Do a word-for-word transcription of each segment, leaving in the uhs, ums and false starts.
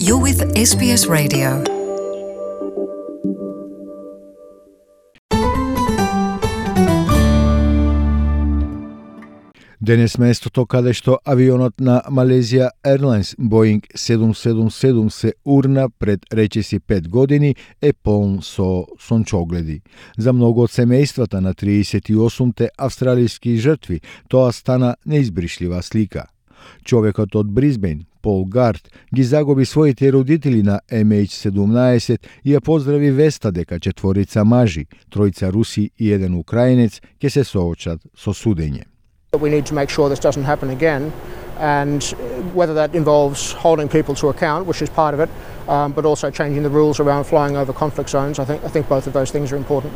You're with S B S Radio. Денес местото каде што авионот на Malaysia Airlines Boeing седум седум седум се урна пред речиси пет години е полн со сончогледи. За многу од семејствата на триесет и осумте австралиски жртви тоа стана неизбришлива слика. Човекот од Брисбен, Пол Гард, ги загуби своите родители на Ем Еич седумнаесет и ја поздрави веста дека четворица мажи, тројца руси и еден украинец ќе се соочат со судење. We need to make sure this doesn't happen again, and whether that involves holding people to account, which is part of it, um, but also changing the rules around flying over conflict zones. I think I think both of those things are important.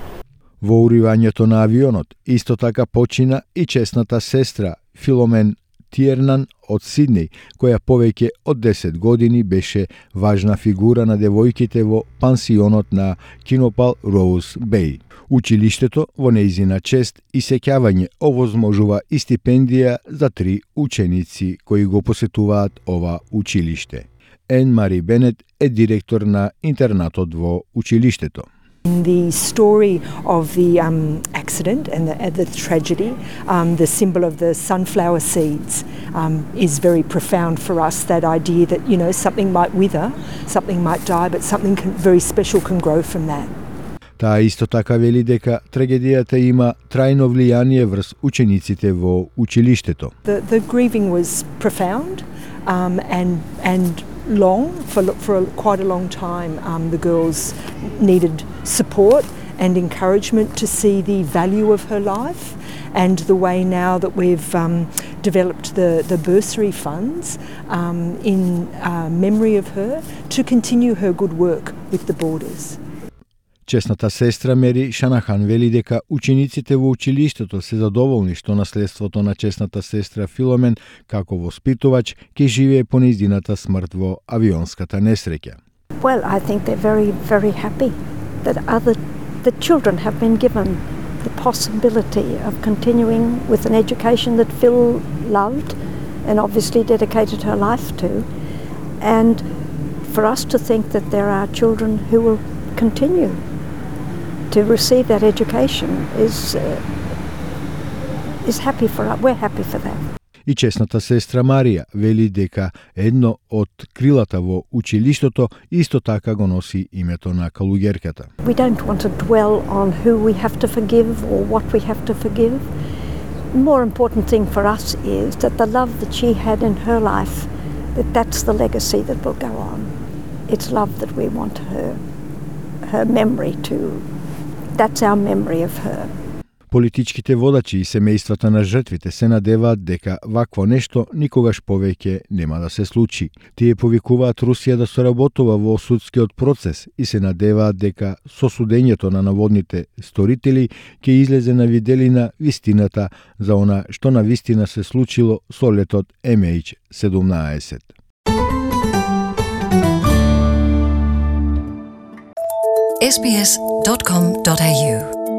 Во уривањето на авионот исто така почина и чесната сестра Филомен Тиернан од Сиднеј, која повеќе од десет години беше важна фигура на девојките во пансионот на Кинопал Роуз Беј. Училиштето во нејзина чест и сеќавање овозможува и стипендија за три ученици кои го посетуваат ова училиште. Ен Мари Бенет е директор на интернатот во училиштето. The story of the um, accident and the, uh, the tragedy, um, the symbol of the sunflower seeds, um, is very profound for us. That idea that, you know, something might wither, something might die, but something can, very special can grow from that. Таа исто така вели дека трагедијата има трајно влијание врз учениците во училиштето. The, the grieving was profound um, and and long for for a, quite a long time. Um, the girls needed support and encouragement to see the value of her life, and the way now that we've um, developed the the bursary funds um, in uh, memory of her to continue her good work with the Borders. Чесната сестра Мери Шанахан вели дека учениците во училиштето се задоволни што наследството на чесната сестра Филомен како воспитувач ќе живее по нејзината смрт во авионската несреќа. Well, I think they're very, very happy that other the children have been given the possibility of continuing with an education that Phil loved and obviously dedicated her life to, and for us to think that there are children who will continue to receive that education is uh, is happy for us. We're happy for that. И чесната сестра Марија вели дека едно од крилата во училиштето исто така го носи името на калуѓерката. We don't want to dwell on who we have to forgive or what we have to forgive. The more important thing for us is that the love that she had in her life, that that's the legacy that will go on. It's love that we want her her memory to. That's our memory of her. Политичките водачи и семејствата на жртвите се надеваат дека вакво нешто никогаш повеќе нема да се случи. Тие повикуваат Русија да соработува во судскиот процес и се надеваат дека со судењето на наводните сторители ќе излезе на виделина вистината за она што на вистина се случило со летот Ем Еич седумнаесет. S B S dot com dot A U